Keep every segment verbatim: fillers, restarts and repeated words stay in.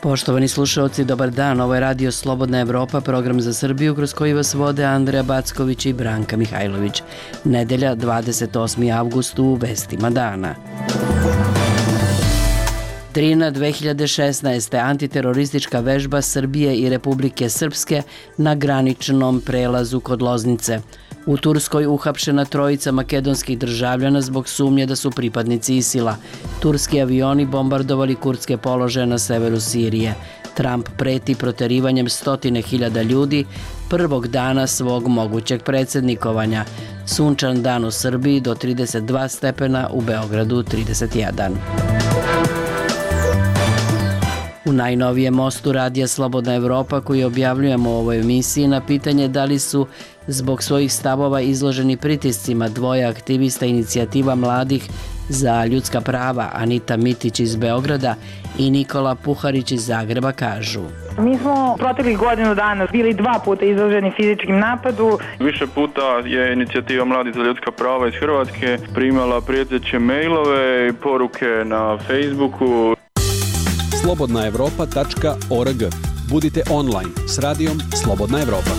Poštovani slušalci, dobar dan. Ovo je Radio Slobodna Evropa, program za Srbiju kroz koji vas vode Andreja Backović i Branka Mihajlović. Nedelja, dvadeset osmi avgust, u vestima dana. Drina dve hiljade šesnaeste. Antiteroristička vežba Srbije i Republike Srpske na graničnom prelazu kod Loznice. U Turskoj uhapšena trojica makedonskih državljana zbog sumnje da su pripadnici ISIL-a. Turski avioni bombardovali kurdske položaje na severu Sirije. Trump preti proterivanjem stotine hiljada ljudi prvog dana svog mogućeg predsjednikovanja. Sunčan dan u Srbiji do trideset dva stepena, u Beogradu trideset jedan. U najnovijem mostu Radija Slobodna Evropa koji objavljujemo u ovoj emisiji na pitanje da li su zbog svojih stavova izloženi pritiscima dvoje aktivista inicijativa mladih za ljudska prava, Anita Mitić iz Beograda i Nikola Puharić iz Zagreba, kažu: Mi smo proteklih godinu dana bili dva puta izloženi fizičkim napadu. Više puta je inicijativa Mladih za ljudska prava iz Hrvatske primala prijeteće mailove i poruke na Facebooku. slobodna evropa tačka org. Budite online s radijom Slobodna Evropa.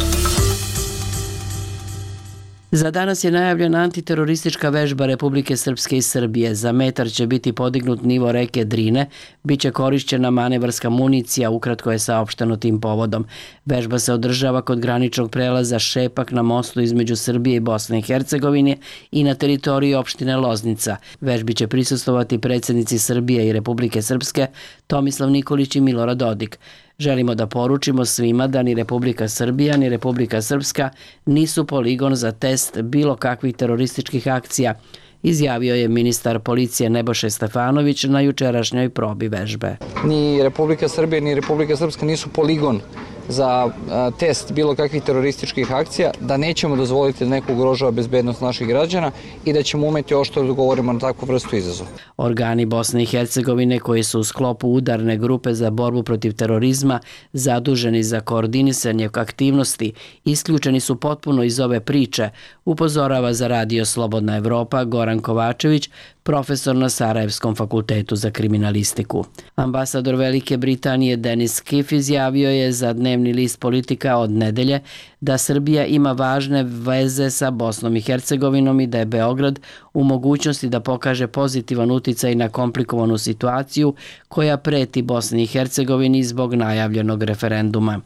Za danas je najavljena antiteroristička vežba Republike Srpske i Srbije. Za metar će biti podignut nivo reke Drine, bit će korišćena manevarska municija, ukratko je saopšteno tim povodom. Vežba se održava kod graničnog prelaza Šepak na mostu između Srbije i Bosne i Hercegovine i na teritoriji opštine Loznica. Vežbi će prisustvovati predsjednici Srbije i Republike Srpske Tomislav Nikolić i Milorad Dodik. Želimo da poručimo svima da ni Republika Srbija ni Republika Srpska nisu poligon za test bilo kakvih terorističkih akcija, izjavio je ministar policije Nebojša Stefanović na jučerašnjoj probi vežbe. Ni Republika Srbija ni Republika Srpska nisu poligon za test bilo kakvih terorističkih akcija, da nećemo dozvoliti da neko ugrožava bezbednost naših građana i da ćemo umeti oštro da odgovorimo na takvu vrstu izazova. Organi Bosne i Hercegovine koji su u sklopu udarne grupe za borbu protiv terorizma zaduženi za koordinisanje aktivnosti isključeni su potpuno iz ove priče, upozorava za Radio Slobodna Evropa Goran Kovačević, profesor na Sarajevskom fakultetu za kriminalistiku. Ambasador Velike Britanije Denis Kiff izjavio je za dnevni list Politika od nedelje da Srbija ima važne veze sa Bosnom i Hercegovinom i da je Beograd u mogućnosti da pokaže pozitivan uticaj na komplikovanu situaciju koja preti Bosni i Hercegovini zbog najavljenog referenduma.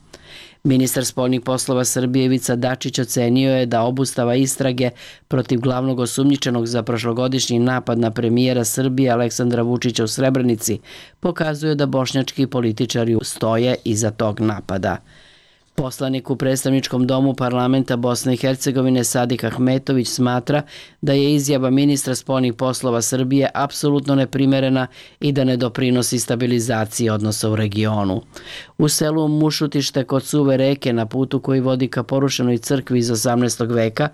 Ministar spoljnih poslova Srbije Ivica Dačić ocenio je da obustava istrage protiv glavnog osumnjičenog za prošlogodišnji napad na premijera Srbije Aleksandra Vučića u Srebrenici pokazuje da bošnjački političari stoje iza tog napada. Poslanik u predstavničkom domu parlamenta Bosne i Hercegovine Sadik Ahmetović smatra da je izjava ministra spoljnih poslova Srbije apsolutno neprimerena i da ne doprinosi stabilizaciji odnosa u regionu. U selu Mušutište kod Suve reke na putu koji vodi ka porušenoj crkvi iz osamnaestog veka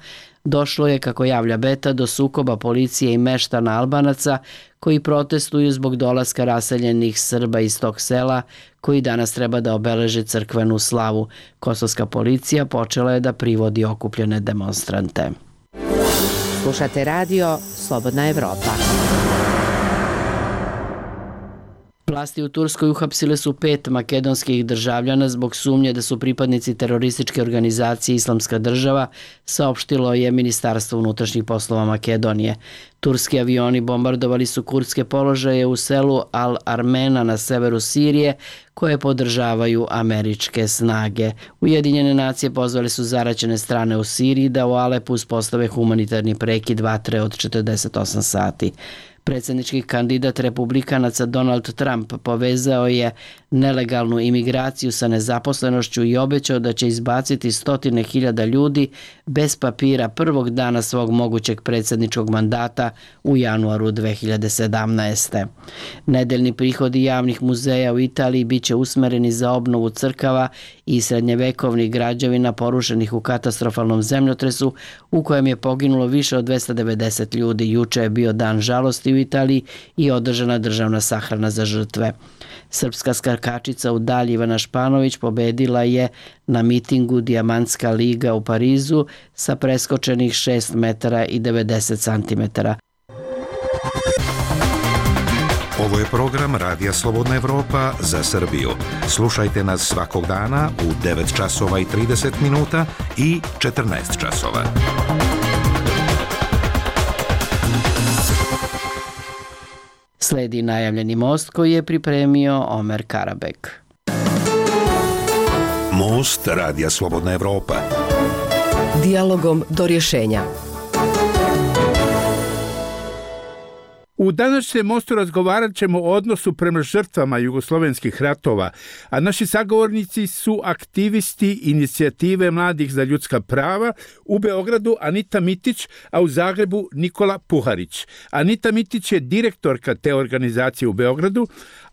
došlo je, kako javlja Beta, do sukoba policije i meštana Albanaca koji protestuju zbog dolaska raseljenih Srba iz tog sela koji danas treba da obeleže crkvenu slavu. Kosovska policija počela je da privodi okupljene demonstrante. Slušate radio Slobodna Evropa. Vlasti u Turskoj uhapsile su pet makedonskih državljana zbog sumnje da su pripadnici terorističke organizacije Islamska država, saopštilo je Ministarstvo unutrašnjih poslova Makedonije. Turski avioni bombardovali su kurdske položaje u selu Al-Armena na severu Sirije, koje podržavaju američke snage. Ujedinjene nacije pozvali su zaraćene strane u Siriji da u Alepu uspostave humanitarni prekid vatre od četrdeset osam sati. Predsjednički kandidat republikanaca Donald Trump povezao je nelegalnu imigraciju sa nezaposlenošću i obećao da će izbaciti stotine hiljada ljudi bez papira prvog dana svog mogućeg predsjedničkog mandata u januaru dve hiljade sedamnaeste. Nedeljni prihodi javnih muzeja u Italiji bit će usmereni za obnovu crkava i srednjevekovnih građevina porušenih u katastrofalnom zemljotresu u kojem je poginulo više od dvesta devedeset ljudi. Juče je bio dan žalosti u Italiji i održana državna sahrana za žrtve. Srpska skakačica u dalji Ivana Španović pobedila je na mitingu Dijamantska liga u Parizu sa preskočenih šest metara i devedeset centimetara. Ovo je program Radija Slobodna Evropa za Srbiju. Slušajte nas svakog dana u devet časova i trideset minuta i četrnaest časova. Sledi najavljeni most koji je pripremio Omer Karabek. Most Radija Slobodna Evropa. Dijalogom do rješenja. U današnjem mostu razgovarat ćemo o odnosu prema žrtvama jugoslovenskih ratova, a naši sagovornici su aktivisti inicijative Mladih za ljudska prava, u Beogradu Anita Mitić, a u Zagrebu Nikola Puharić. Anita Mitić je direktorka te organizacije u Beogradu,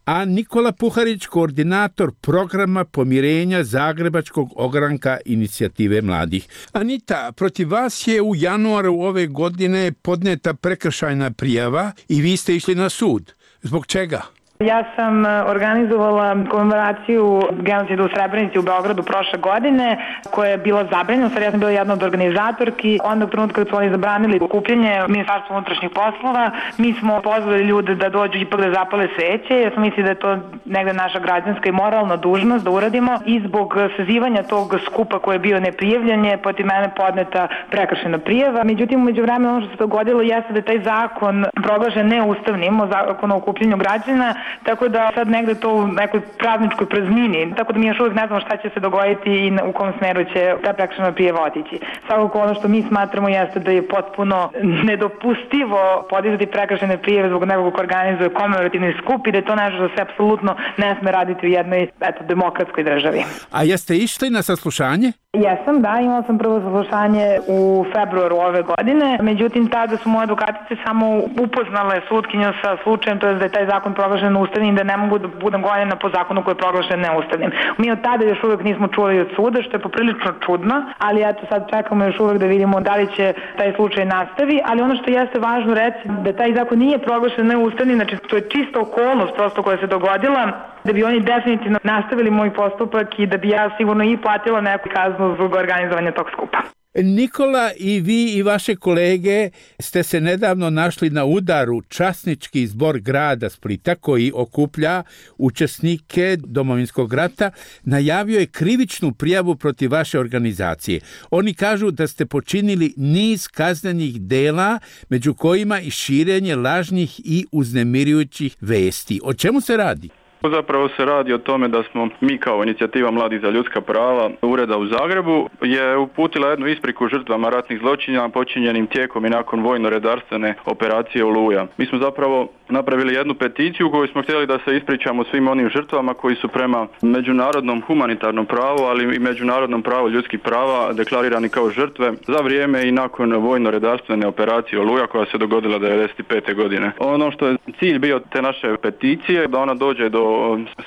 a Nikola Puharić koordinator programa pomirenja Zagrebačkog ogranka inicijative mladih. Anita, protiv vas je u januaru ove godine podneta prekršajna prijava i vi ste išli na sud. Zbog čega? Ja sam organizovala komemoraciju genocida u Srebrenici u Beogradu prošle godine, koja je bila zabranjena, sad ja sam bila jedna od organizatorki. Onda u trenutku kad su oni zabranili okupljanje Ministarstva unutrašnjih poslova, mi smo pozvali ljude da dođu ipak da zapale sveće. Ja sam mislila da je to negde naša građanska i moralna dužnost da uradimo i zbog sazivanja tog skupa koji je bio neprijavljen je protiv mene podneta prekršajna prijava. Međutim, umeđu vremena ono što se dogodilo jeste da je taj zakon proglašen neustavnim, o zakonu o okupljanju građana, tako da sad negde to u nekoj pravničkoj praznini, tako da mi još uvijek ne znamo šta će se dogoditi i u kom smeru će ta prekršajna prijava otići. Svakako ono što mi smatramo jeste da je potpuno nedopustivo podizati prekršajne prijave zbog nekog ko organizuje komemorativni skup i da je to nešto što se apsolutno ne sme raditi u jednoj eto, demokratskoj državi. A jeste išli na saslušanje? Jesam, da, imala sam prvo saslušanje u februaru ove godine, međutim tada su moje advokatice samo upoznale sudkinju sa slučajem, to je da je taj zakon proglašen neustavnim i da ne mogu da budem gonjena po zakonu koji je proglašen neustavnim. Mi od tada još uvijek nismo čuli od suda, što je poprilično čudno, ali eto sad čekamo još uvijek da vidimo da li će taj slučaj nastavi, ali ono što jeste važno reći da taj zakon nije proglašen neustavnim, znači to je čista okolnost prosto koja se dogodila, da bi oni definitivno nastavili moj postupak i da bi ja sigurno i platila neku kaznu zbog organizovanja tog skupa. Nikola, i vi i vaše kolege ste se nedavno našli na udaru časnički zbor grada Splita koji okuplja učesnike Domovinskog rata, najavio je krivičnu prijavu protiv vaše organizacije. Oni kažu da ste počinili niz kaznenih dela, među kojima i širenje lažnih i uznemirujućih vesti. O čemu se radi? Zapravo se radi o tome da smo mi kao inicijativa Mladih za ljudska prava ureda u Zagrebu je uputila jednu ispriku žrtvama ratnih zločina počinjenim tijekom i nakon vojno-redarstvene operacije Oluja. Mi smo zapravo napravili jednu peticiju u kojoj smo htjeli da se ispričamo svim onim žrtvama koji su prema međunarodnom humanitarnom pravu, ali i međunarodnom pravu ljudskih prava deklarirani kao žrtve za vrijeme i nakon vojno-redarstvene operacije Oluja koja se dogodila devedeset pete godine. Ono što je cilj bio te naše peticije da ona dođe do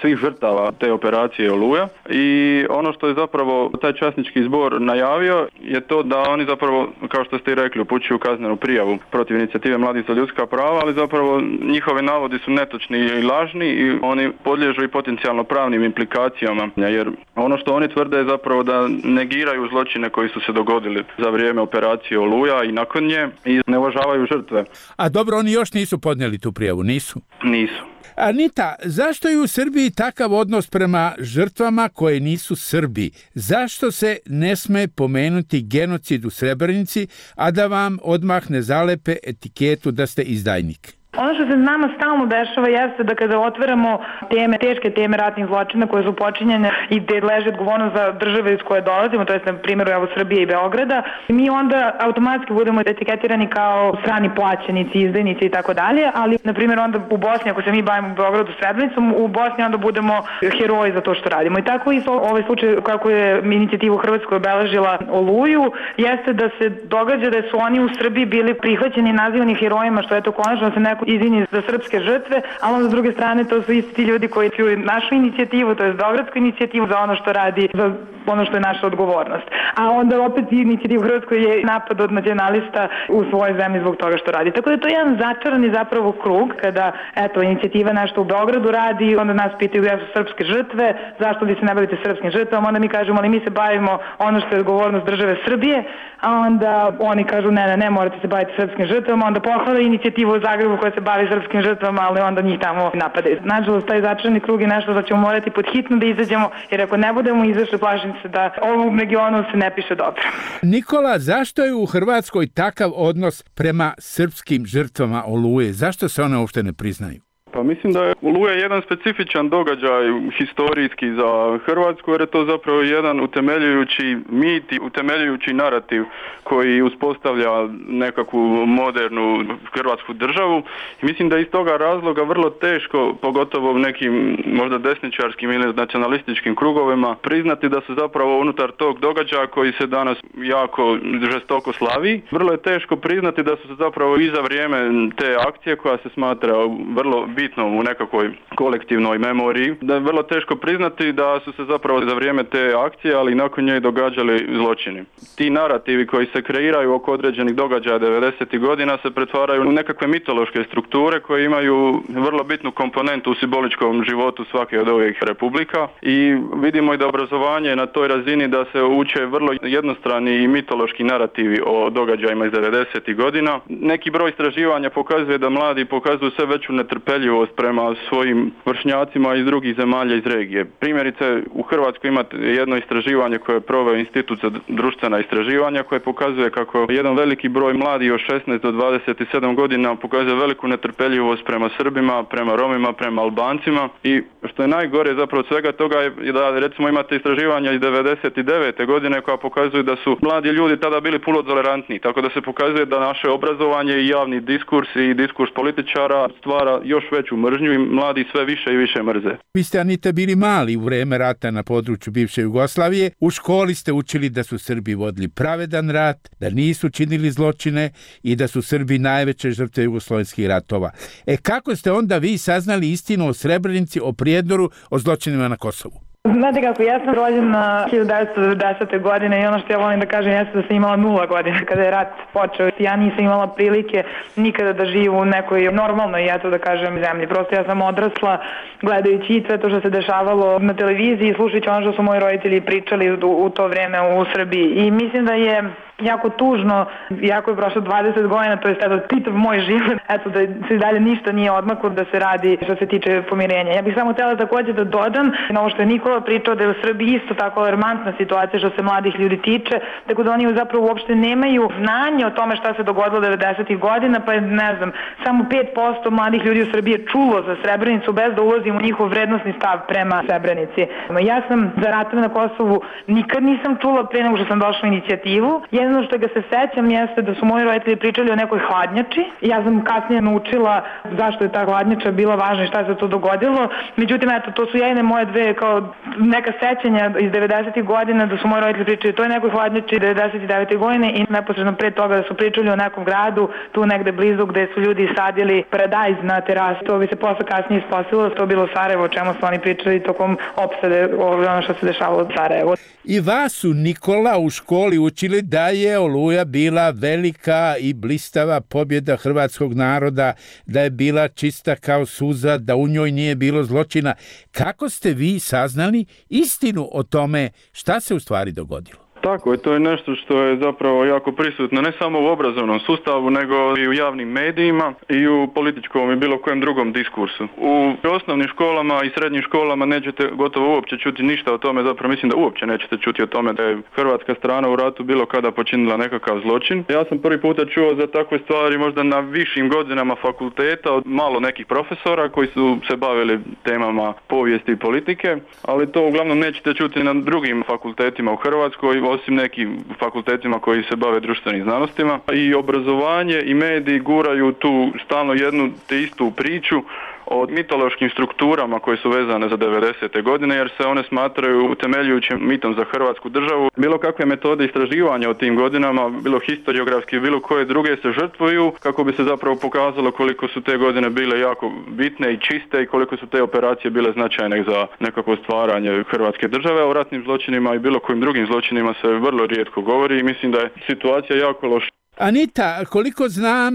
svih žrtava te operacije Oluja i ono što je zapravo taj časnički zbor najavio je to da oni zapravo, kao što ste i rekli, upućuju kaznenu prijavu protiv inicijative Mladih za ljudska prava, ali zapravo njihovi navodi su netočni i lažni i oni podliježu i potencijalno pravnim implikacijama, jer ono što oni tvrde je zapravo da negiraju zločine koji su se dogodili za vrijeme operacije Oluja i nakon nje i ne uvažavaju žrtve. A dobro, oni još nisu podnijeli tu prijavu, nisu? Nisu. Anita, zašto je u Srbiji takav odnos prema žrtvama koje nisu Srbi? Zašto se ne sme pomenuti genocid u Srebrenici, a da vam odmah ne zalepe etiketu da ste izdajnik? Ono što se nama stalno dešava jeste da kada otvaramo teme, teške teme ratnih zločina koje su počinjene i gde leži odgovornost za države iz koje dolazimo, to je na primjeru evo Srbije i Beograda, mi onda automatski budemo etiketirani kao strani plaćenici, izdajnici i tako dalje, ali na primjer onda u Bosni, ako se mi bavimo u Beogradu Srebrenicom, u Bosni onda budemo heroji za to što radimo. I tako i ovaj slučaj kako je inicijativa u Hrvatskoj obeležila Oluju, jeste da se događa da su oni u Srbiji bili prihvaćeni i nazivani herojima, što je to konačno se neko izvini za srpske žrtve, a onda s druge strane to su isti ljudi koji su našu inicijativu, to je beogradsku inicijativu za ono što radi za ono što je naša odgovornost. A onda opet inicijativa u Hrvatskoj je napad od nacionalista u svojoj zemlji zbog toga što radi. Tako da to je jedan začarani zapravo krug kada eto inicijativa nešto u Beogradu radi, onda nas pitaju gde su srpske žrtve, zašto vi se ne bavite srpskim žrtvama, onda mi kažemo ali mi se bavimo ono što je odgovornost države Srbije, a onda oni kažu ne, ne, ne morate se baviti srpskim žrtvama, onda pohvale inicijativu u Zagrebu koja se bavi srpskim žrtvama, ali onda njih tamo napadaju. Nažalost, taj začarani krug je nešto da ćemo morati pod hitno da izađemo, jer ako ne budemo izašli, plašim se da ovom regionu se ne piše dobro. Nikola, zašto je u Hrvatskoj takav odnos prema srpskim žrtvama Oluje? Zašto se one uopšte ne priznaju? Pa mislim da je Oluja jedan specifičan događaj historijski za Hrvatsku, jer je to zapravo jedan utemeljujući mit i utemeljujući narativ koji uspostavlja nekakvu modernu hrvatsku državu. I mislim da je iz toga razloga vrlo teško, pogotovo u nekim možda desničarskim ili nacionalističkim krugovima, priznati da su zapravo unutar tog događaja koji se danas jako žestoko slavi. Vrlo je teško priznati da su se zapravo i za vrijeme te akcije koja se smatra vrlo bitno u nekakvoj kolektivnoj memoriji, da je vrlo teško priznati da su se zapravo za vrijeme te akcije, ali nakon nje događali zločini. Ti narativi koji se kreiraju oko određenih događaja devedesetih godina se pretvaraju u nekakve mitološke strukture koje imaju vrlo bitnu komponentu u simboličkom životu svake od ovih republika i vidimo i da obrazovanje na toj razini da se uče vrlo jednostrani i mitološki narativi o događajima iz devedesetih godina. Neki broj istraživanja pokazuje da mladi pokazuju sve veću netrpeljivost prema svojim vršnjacima iz drugih zemalja iz regije. Primjerice, u Hrvatskoj imate jedno istraživanje koje je proveo Institut za društvena istraživanja koje pokazuje kako jedan veliki broj mladih od šesnaest do dvadeset sedam godina pokazuje veliku netrpeljivost prema Srbima, prema Romima, prema Albancima i što je najgore zapravo svega toga je da recimo imate istraživanja iz devedeset devete godine koja pokazuju da su mladi ljudi tada bili puno tolerantniji, tako da se pokazuje da naše obrazovanje i javni diskurs i diskurs političara stvara još veću mržnju i mladi sve više i više mrze. Vi ste, Anita, bili mali u vreme rata na području bivše Jugoslavije. U školi ste učili da su Srbi vodili pravedan rat, da nisu činili zločine i da su Srbi najveće žrtve jugoslovenskih ratova. E kako ste onda vi saznali istinu o Srebrenici, o Prijedoru, o zločinima na Kosovu? Znate kako, ja sam rođena hiljadu devetsto devedesete. godine i ono što ja volim da kažem jeste da sam imala nula godina kada je rat počeo. Ja nisam imala prilike nikada da živim u nekoj normalnoj, eto da kažem, zemlji. Prosto ja sam odrasla gledajući i sve to što se dešavalo na televiziji i slušajući ono što su moji roditelji pričali u, u to vreme u Srbiji. I mislim da je jako tužno, jako je prošlo dvadeset godina, to je eto čitav moj život, eto da se dalje ništa nije odmaklo da se radi što se tiče pomirenja. Ja bih samo htjela također da dodam na ovo što je Nikola pričao da je u Srbiji isto tako alarmantna situacija što se mladih ljudi tiče, tako da oni zapravo uopšte nemaju znanje o tome šta se dogodilo devedesetih godina, pa je, ne znam, samo pet posto mladih ljudi u Srbiji je čulo za Srebrenicu bez da ulazim u njihov vrednosni stav prema Srebrenici. Ja sam za ratove na Kosovu nikad nisam čula pre nego što sam došla u inicijativu. Jedno što ga se sećam jeste da su moji roditelji pričali o nekoj hladnjači. Ja sam kasnije naučila zašto je ta hladnjača bila važna i šta se to dogodilo. Međutim, eto, to su jedine moje dve kao neka sećanja iz devedesetih godina da su moji roditelji pričali to je nekoj hladnjači devedeset devete. godine i neposredno pre toga da su pričali o nekom gradu tu negde blizu gde su ljudi sadili paradajz na terasu. To bi se posle kasnije ispostavilo, to je bilo Sarajevo, o čemu su oni pričali tokom opsade ono što se dešavalo u Sarajevu. I vas su, Nikola, u školi učili da je Oluja bila velika i blistava pobjeda hrvatskog naroda, da je bila čista kao suza, da u njoj nije bilo zločina. Kako ste vi saznali istinu o tome šta se u stvari dogodilo? Tako je, to je nešto što je zapravo jako prisutno ne samo u obrazovnom sustavu, nego i u javnim medijima i u političkom i bilo kojem drugom diskursu. U osnovnim školama i srednjim školama nećete gotovo uopće čuti ništa o tome, zapravo mislim da uopće nećete čuti o tome da je hrvatska strana u ratu bilo kada počinila nekakav zločin. Ja sam prvi puta čuo za takve stvari možda na višim godinama fakulteta od malo nekih profesora koji su se bavili temama povijesti i politike, ali to uglavnom nećete čuti na drugim fakultetima u Hrvatskoj, osim nekim fakultetima koji se bave društvenim znanostima. I obrazovanje i mediji guraju tu stalno jednu te istu priču o mitološkim strukturama koje su vezane za devedesete godine, jer se one smatraju utemeljujućim mitom za Hrvatsku državu. Bilo kakve metode istraživanja o tim godinama, bilo historiografski, bilo koje druge se žrtvuju kako bi se zapravo pokazalo koliko su te godine bile jako bitne i čiste i koliko su te operacije bile značajne za nekako stvaranje Hrvatske države. O ratnim zločinima i bilo kojim drugim zločinima se vrlo rijetko govori i mislim da je situacija jako loša. Anita, koliko znam,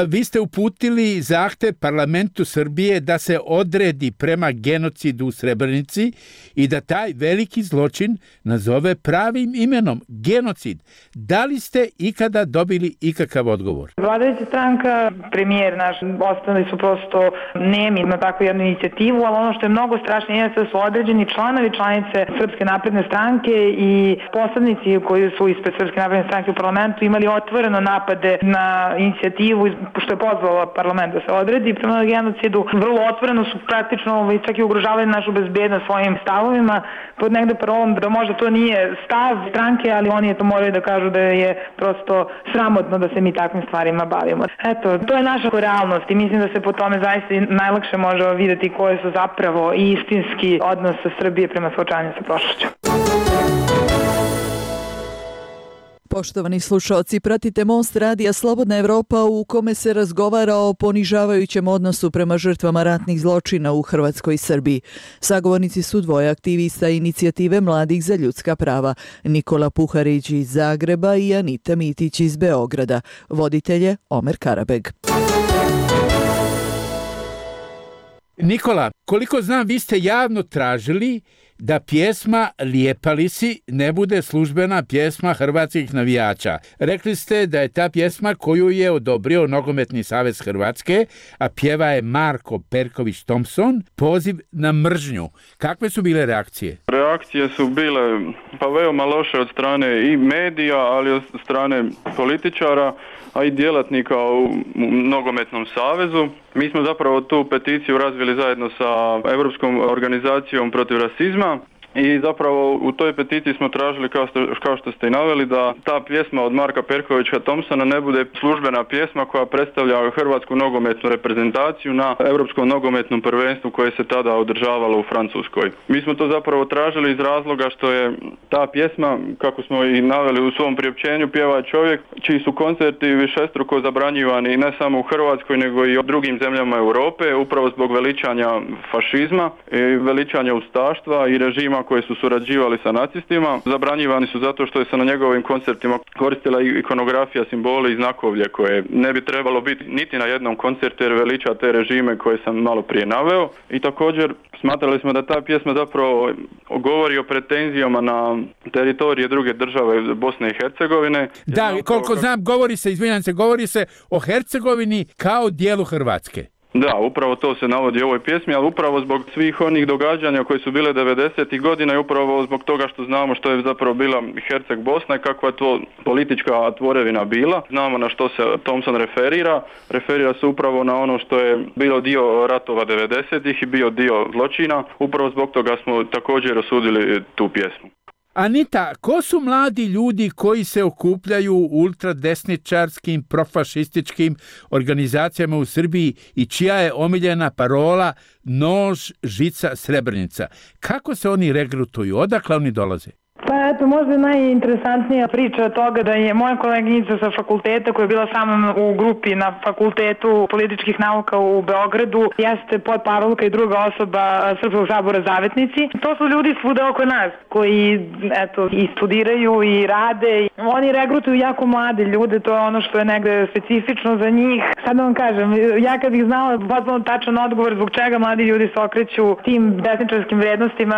vi ste uputili zahtev parlamentu Srbije da se odredi prema genocidu u Srebrenici i da taj veliki zločin nazove pravim imenom, genocid. Da li ste ikada dobili ikakav odgovor? Vladajuća stranka, premijer naš, ostali su prosto nemi na takvu jednu inicijativu, ali ono što je mnogo strašnije je da su određeni članovi članice Srpske napredne stranke i poslanici koji su ispred Srpske napredne stranke u parlamentu imali otvoreno napade na inicijativu što je pozvala parlament da se odredi prema genocidu. Vrlo otvoreno su praktično čak i ugrožavali našu bezbednost svojim stavovima pod negde parolom da možda to nije stav stranke, ali oni je to moraju da kažu da je prosto sramotno da se mi takvim stvarima bavimo. Eto, to je naša realnost i mislim da se po tome zaista najlakše može vidjeti koje su zapravo i istinski odnos Srbije prema suočavanju sa prošlošću. Poštovani slušalci, pratite Most radija Slobodna Evropa u kome se razgovara o ponižavajućem odnosu prema žrtvama ratnih zločina u Hrvatskoj i Srbiji. Sagovornici su dvoje aktivista inicijative Mladih za ljudska prava, Nikola Puharić iz Zagreba i Anita Mitić iz Beograda. Voditelj je Omer Karabeg. Nikola, koliko znam, vi ste javno tražili da pjesma Lijepa li si ne bude službena pjesma hrvatskih navijača. Rekli ste da je ta pjesma koju je odobrio Nogometni savez Hrvatske, a pjeva je Marko Perković Thompson, poziv na mržnju. Kakve su bile reakcije? Reakcije su bile pa veoma loše od strane i medija, ali od strane političara, a i djelatnika u Nogometnom savezu. Mi smo zapravo tu peticiju razvili zajedno sa Europskom organizacijom protiv rasizma i zapravo u toj peticiji smo tražili, kao što, kao što ste i naveli, da ta pjesma od Marka Perkovića Thompsona ne bude službena pjesma koja predstavlja hrvatsku nogometnu reprezentaciju na Europskom nogometnom prvenstvu koje se tada održavalo u Francuskoj. Mi smo to zapravo tražili iz razloga što je ta pjesma, kako smo i naveli u svom priopćenju, pjeva čovjek čiji su koncerti višestruko zabranjivani ne samo u Hrvatskoj nego i u drugim zemljama Europe, upravo zbog veličanja fašizma i veličanja ustaštva i režima koji su surađivali sa nacistima. Zabranjivani su zato što je se na njegovim koncertima koristila ikonografija, simboli i znakovlje koje ne bi trebalo biti niti na jednom koncertu jer veliča te režime koje sam malo prije naveo. I također smatrali smo da ta pjesma zapravo govori o pretenzijama na teritorije druge države Bosne i Hercegovine. Da, koliko znam, govori se, izvinjam se, govori se o Hercegovini kao dijelu Hrvatske. Da, upravo to se navodi u ovoj pjesmi, ali upravo zbog svih onih događanja koji su bile devedesetih godina i upravo zbog toga što znamo što je zapravo bila Herceg Bosna i kakva je to politička tvorevina bila. Znamo na što se Thompson referira. Referira se upravo na ono što je bilo dio ratova devedesetih i bio dio zločina. Upravo zbog toga smo također osudili tu pjesmu. Anita, ko su mladi ljudi koji se okupljaju u ultradesničarskim, profašističkim organizacijama u Srbiji i čija je omiljena parola nož, žica, Srebrenica? Kako se oni regrutuju? Odakle oni dolaze? Pa eto, možda je najinteresantnija priča od toga da je moja koleginica sa fakulteta koja je bila sa mnom u grupi na Fakultetu političkih nauka u Beogradu, jeste podparolka i druga osoba Srpskog sabora Zavetnici. To su ljudi svuda oko nas koji eto, i studiraju i rade. Oni regrutuju jako mlade ljude, to je ono što je negde specifično za njih. Sad da vam kažem, ja kad bih znala potpuno tačan odgovor zbog čega mladi ljudi se okreću tim desničarskim vrednostima,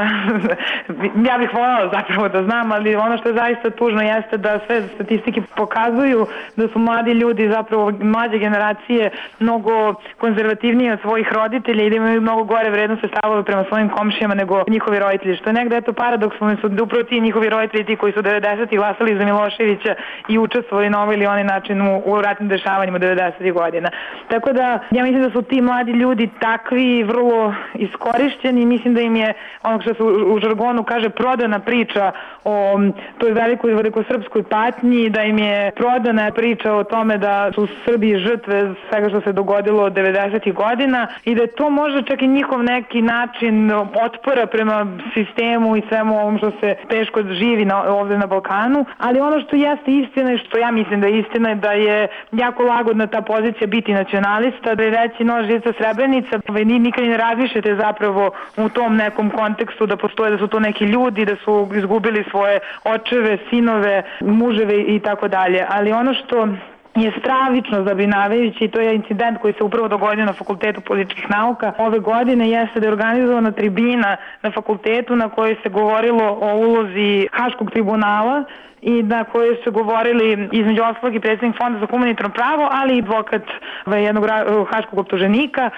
ja bih voljela zapravo da znam, ali ono što je zaista tužno jeste da sve statistike pokazuju da su mladi ljudi, zapravo mlađe generacije, mnogo konzervativnije od svojih roditelja i da imaju mnogo gore vrednostne stavove prema svojim komšijama nego njihovi roditelji. Što je negde eto paradoksalno su da upravo ti njihovi roditelji ti koji su devedesetih glasali za Miloševića i učestvovali na ovaj ili onaj način u, u ratnim dešavanjima devedesetih godina. Tako da ja mislim da su ti mladi ljudi takvi vrlo iskorišćeni i mislim da im je ono što se u, u žargonu kaže prodana priča o o toj velikoj velikosrpskoj patnji, da im je prodana priča o tome da su Srbi žrtve svega što se dogodilo od devedesetih godina i da je to možda čak i njihov neki način otpora prema sistemu i svemu ovom što se teško živi na, ovde na Balkanu, ali ono što jeste istina i što ja mislim da je istina je da je jako lagodna ta pozicija biti nacionalista, da je reći no žica Srebrenica, vi nikad ne razmišljate zapravo u tom nekom kontekstu da postoje, da su to neki ljudi, da su izgubili svoje očeve, sinove, muževe i tako dalje. Ali ono što je stravično zabrinjavajući, to je incident koji se upravo dogodio na Fakultetu političkih nauka ove godine, jeste da je organizovana tribina na fakultetu na kojoj se govorilo o ulozi Haškog tribunala i na kojoj su govorili između ostalog i predsjednik Fonda za humanitarno pravo, ali i advokat jednog haškog optuženika,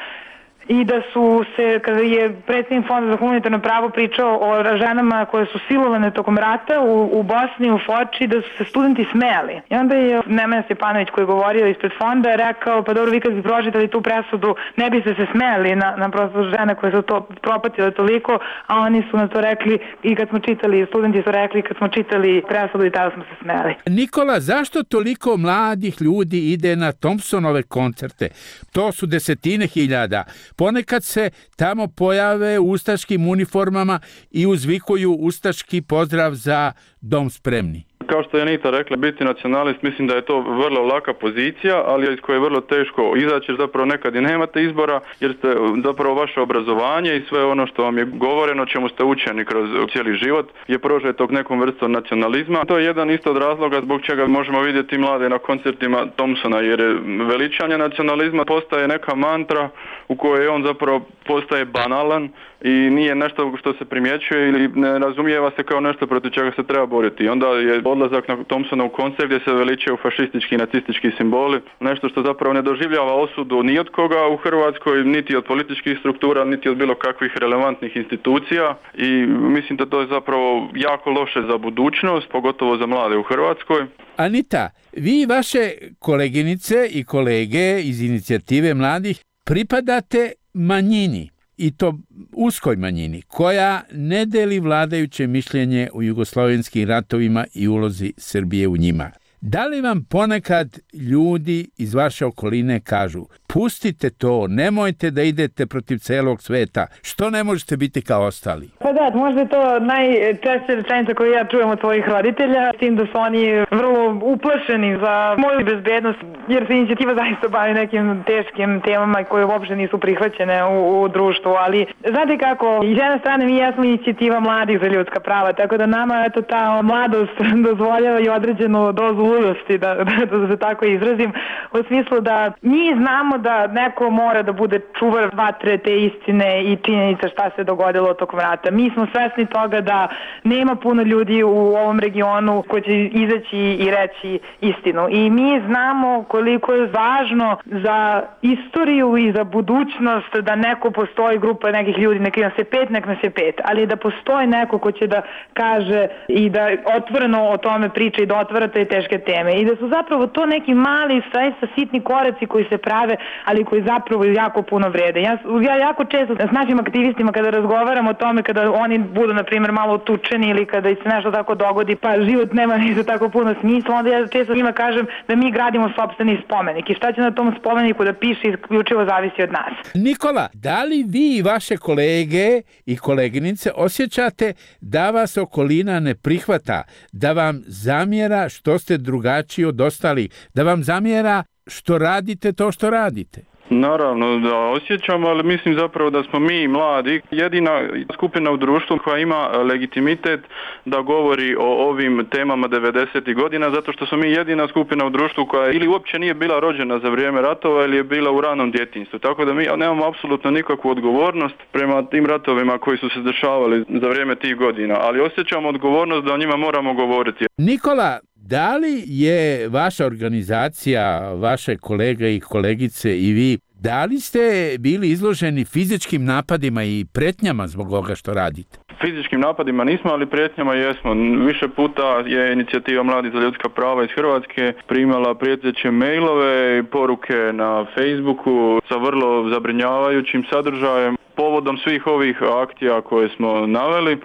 i da su se, kada je predsjednik Fonda za humanitarno pravo pričao o ženama koje su silovane tokom rata u, u Bosni, u Foči, da su se studenti smejali. I onda je Nemanja Stjepanović koji je govorio ispred fonda rekao, pa dobro, vi kad bi pročitali tu presudu, ne biste se smejali na, na prosto žene koje su to propatile toliko, a oni su na to rekli i kad smo čitali, studenti su rekli kad smo čitali presudu i tada smo se smejali. Nikola, zašto toliko mladih ljudi ide na Thompsonove koncerte? To su desetine hiljada. Ponekad se tamo pojave u ustaškim uniformama i uzvikuju ustaški pozdrav za dom spremni. Kao što je Anita rekla, biti nacionalist, mislim da je to vrlo laka pozicija, ali iz koje je vrlo teško izaći, jer zapravo nekad i nemate izbora, jer ste zapravo vaše obrazovanje i sve ono što vam je govoreno, čemu ste učeni kroz cijeli život, je prožeto nekom vrstom nacionalizma. To je jedan isto od razloga zbog čega možemo vidjeti mlade na koncertima Thompsona, jer veličanje nacionalizma postaje neka mantra u kojoj on zapravo postaje banalan i nije nešto što se primjećuje ili ne razumijeva se kao nešto protiv čega se treba boriti. I onda je odlazak na Thompsona u koncert gdje se veličaju fašistički i nacistički simboli, nešto što zapravo ne doživljava osudu ni od koga u Hrvatskoj, niti od političkih struktura, niti od bilo kakvih relevantnih institucija, i mislim da to je zapravo jako loše za budućnost, pogotovo za mlade u Hrvatskoj. Anita, vi i vaše koleginice i kolege iz inicijative mladih pripadate manjini, i to uskoj manjini, koja ne deli vladajuće mišljenje u jugoslovenskim ratovima i ulozi Srbije u njima. Da li vam ponekad ljudi iz vaše okoline kažu, pustite to, nemojte da idete protiv celog sveta, što ne možete biti kao ostali? Pa da, možda je to najčešća rečenica koju ja čujem od svojih roditelja, s tim da su oni vrlo uplašeni za moju bezbednost, jer se inicijativa zaista bavi nekim teškim temama koje uopšte nisu prihvaćene u, u društvu, ali znate kako, iz jedne strane mi jesmo inicijativa mladih za ljudska prava, tako da nama eto ta mladost dozvoljava i određenu dozu ludosti, da, da, da se tako izrazim, u smislu da mi znamo da neko mora da bude čuvar vatre te istine i činjenica šta se dogodilo tokom rata. Mi smo svesni toga da nema puno ljudi u ovom regionu koji će izaći i reći istinu. I mi znamo koliko je važno za istoriju i za budućnost da neko postoji, grupa nekih ljudi, nek nas je pet, nek nas je pet, ali da postoji neko ko će da kaže i da otvoreno o tome priča i da otvara te teške teme. I da su zapravo to neki mali, zaista sitni koraci koji se prave, ali koji zapravo jako puno vrede. Ja, ja jako često s našim aktivistima kada razgovaram o tome, kada oni budu, na primjer, malo tučeni ili kada se nešto tako dogodi, pa život nema ni za tako puno smisla, onda ja često njima kažem da mi gradimo sopstveni spomenik i šta će na tom spomeniku da piše isključivo zavisi od nas. Nikola, da li vi i vaše kolege i koleginice osjećate da vas okolina ne prihvata, da vam zamjera što ste drugačiji od ostalih, da vam zamjera što radite to što radite? Naravno da osjećamo, ali mislim zapravo da smo mi mladi jedina skupina u društvu koja ima legitimitet da govori o ovim temama devedesetih godina, zato što smo mi jedina skupina u društvu koja ili uopće nije bila rođena za vrijeme ratova ili je bila u ranom djetinjstvu. Tako da mi nemamo apsolutno nikakvu odgovornost prema tim ratovima koji su se dešavali za vrijeme tih godina, ali osjećamo odgovornost da o njima moramo govoriti. Nikola, da li je vaša organizacija, vaše kolege i kolegice i vi, da li ste bili izloženi fizičkim napadima i pretnjama zbog ovoga što radite? Fizičkim napadima nismo, ali prijetnjama jesmo. Više puta je inicijativa Mladi za ljudska prava iz Hrvatske primala prijeteće mailove i poruke na Facebooku sa vrlo zabrinjavajućim sadržajem. Povodom svih ovih akcija koje smo naveli,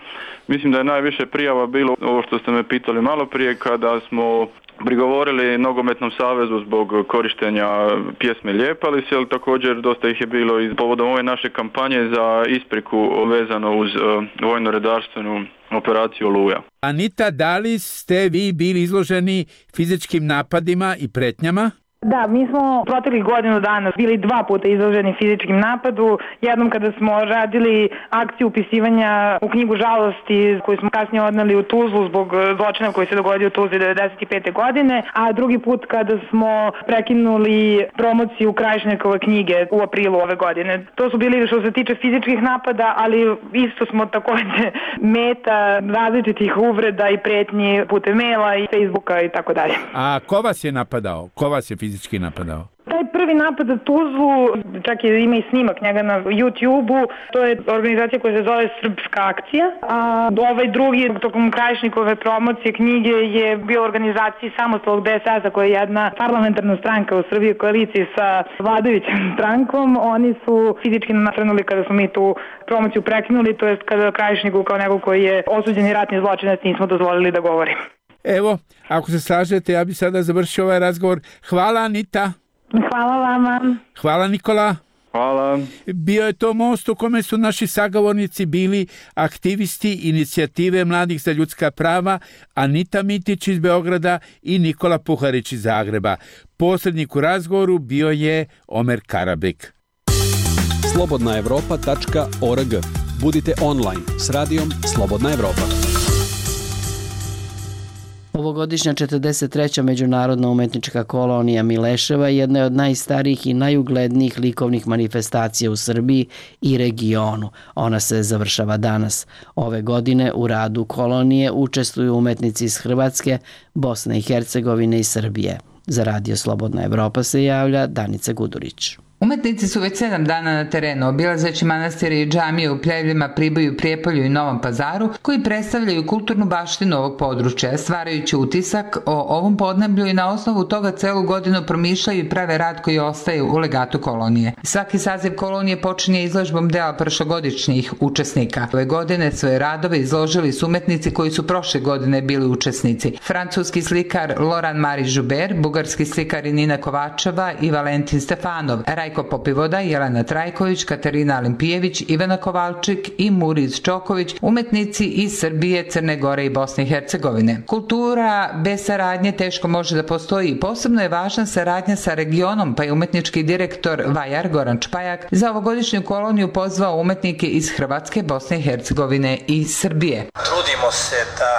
mislim da je najviše prijava bilo ovo što ste me pitali malo prije, kada smo prigovorili Nogometnom savezu zbog korištenja pjesme Lijepali se, ali također dosta ih je bilo i povodom ove naše kampanje za ispriku vezano uz uh, vojno-redarstvenu operaciju Oluja. Anita, da li ste vi bili izloženi fizičkim napadima i pretnjama? Da, mi smo proteklih godinu dana bili dva puta izloženi fizičkim napadu. Jednom kada smo radili akciju upisivanja u knjigu žalosti koju smo kasnije odneli u Tuzlu zbog zločina koji se dogodio u Tuzli devedeset pete godine, a drugi put kada smo prekinuli promociju Krajišnikove knjige u aprilu ove godine. To su bili što se tiče fizičkih napada, ali isto smo također meta različitih uvreda i pretnji putem maila i Facebooka i tako dalje. A ko vas je napadao? Ko vas je fizički napadao? Taj prvi napad na Tuzlu, čak je ima i snimak njega na YouTube-u, to je organizacija koja se zove Srpska akcija, a ovaj drugi, tokom Krajišnikove promocije knjige, je bio u organizaciji Samostalnog D S S-a, koja je jedna parlamentarna stranka u Srbiji, koaliciji sa vladajućom strankom. Oni su fizički nasrnuli kada smo mi tu promociju prekinuli, to jest kada Krajišniku kao nego koji je osuđeni ratni zločinac nismo dozvolili da govori. Evo, ako se slažete, ja bih sada završio ovaj razgovor. Hvala, Anita. Hvala vama. Hvala, Nikola. Hvala. Bio je to most u kome su naši sagovornici bili aktivisti inicijative Mladih za ljudska prava, Anita Mitić iz Beograda i Nikola Puharić iz Zagreba. Posrednik u razgovoru bio je Omer Karabek. slobodna evropa tačka org. Budite online s radijom Slobodna Evropa. Ovogodišnja četrdeset treća međunarodna umetnička kolonija Mileševa jedna je od najstarijih i najuglednijih likovnih manifestacija u Srbiji i regionu. Ona se završava danas. Ove godine u radu kolonije učestvuju umetnici iz Hrvatske, Bosne i Hercegovine i Srbije. Za Radio Slobodna Evropa se javlja Danica Gudurić. Umetnici su već sedam dana na terenu, obilazeći manastire i džamije u Pljevljima, Priboju, Prijepolju i Novom Pazaru, koji predstavljaju kulturnu baštinu ovog područja, stvarajući utisak o ovom podneblju i na osnovu toga celu godinu promišljaju i prave rad koji ostaje u legatu kolonije. Svaki saziv kolonije počinje izložbom dela prošlogodišnjih učesnika. Ove godine svoje radove izložili su umetnici koji su prošle godine bili učesnici. Francuski slikar Loran Marie Joubert, bugarski slikar Nina Kovačeva i Valentin Stefanov, Rajko Popivoda, Jelena Trajković, Katarina Alimpijević, Ivana Kovalčik i Muriz Čoković, umetnici iz Srbije, Crne Gore i Bosne i Hercegovine. Kultura bez saradnje teško može da postoji. Posebno je važna saradnja sa regionom, pa je umetnički direktor Vajar Goran Čpajak za ovogodišnju koloniju pozvao umetnike iz Hrvatske, Bosne i Hercegovine i Srbije. Trudimo se da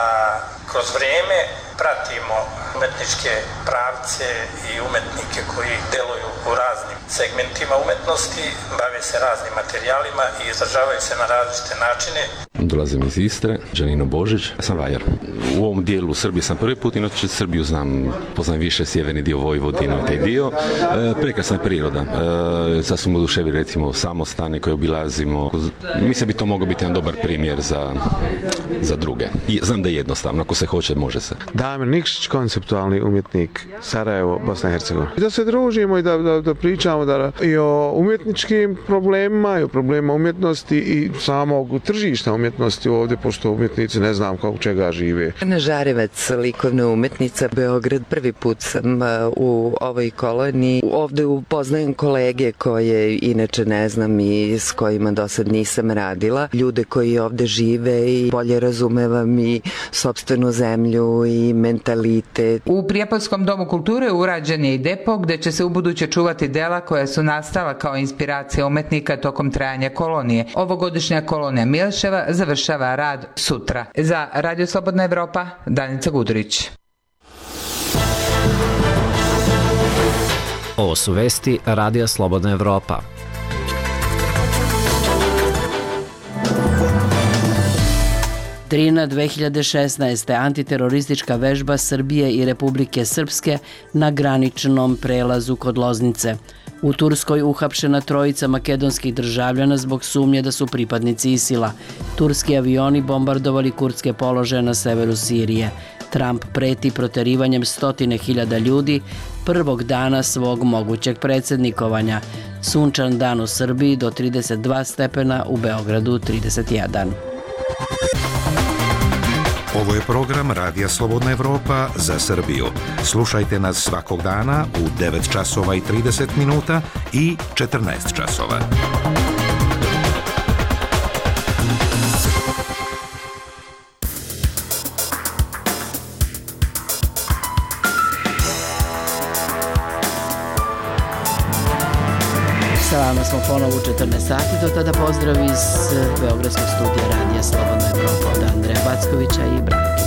kroz vrijeme pratimo umetničke pravce i umetnike koji deluju u raznim segmentima umetnosti, bave se raznim materijalima i izražavaju se na različite načine. Dolazim iz Istre, Đanino Božić, ja sam vajar. U ovom dijelu Srbije sam prvi put, inače Srbiju znam, poznam više sjeverni dio Vojvodinu i taj dio. E, prekrasna je priroda. E, sad smo oduševili recimo samostane koje obilazimo. Mislim bi to mogao biti jedan dobar primjer za, za druge. I znam da je jednostavno, ako se hoće, može se. Damir Nikšić, konceptualni umjetnik, Sarajevo, Bosna i Hercegovina. Da se družimo i da, da, da pričamo da, i o umjetničkim problemima, i o problemima umjetnosti i samog tržišta umjetnosti ovdje, pošto umjetnici ne znam kako čega žive. Ana Žarevac, likovna umetnica, Beograd. Prvi put sam u ovoj koloniji. Ovdje upoznajem kolege koje inače ne znam i s kojima do sad nisam radila. Ljude koji ovdje žive i bolje razumevam i sopstvenu zemlju i mentalitet. U Prijepoljskom domu kulture urađen je i depo gdje će se ubuduće čuvati dela koja su nastala kao inspiracija umetnika tokom trajanja kolonije. Ovogodišnja kolonija Mileševa završava rad sutra. Za Radio Slobodna Evropa, Danica Gudurić. Ovo su vesti Radija Slobodna Evropa. Drina dve hiljade šesnaeste. Antiteroristička vežba Srbije i Republike Srpske na graničnom prelazu kod Loznice. U Turskoj uhapšena trojica makedonskih državljana zbog sumnje da su pripadnici Isila. Turski avioni bombardovali kurdske položaje na severu Sirije. Trump preti proterivanjem stotine hiljada ljudi prvog dana svog mogućeg predsjednikovanja. Sunčan dan u Srbiji do trideset dva stepena, u Beogradu trideset jedan. Ovo je program Radija Slobodna Evropa za Srbiju. Slušajte nas svakog dana u devet časova i trideset minuta i četrnaest časova. Sa vama smo ponovo u četrnaest sati, do tada pozdrav iz Beogradskog studija Radija Slobodna Evropa od Andreja Backovića i Branke.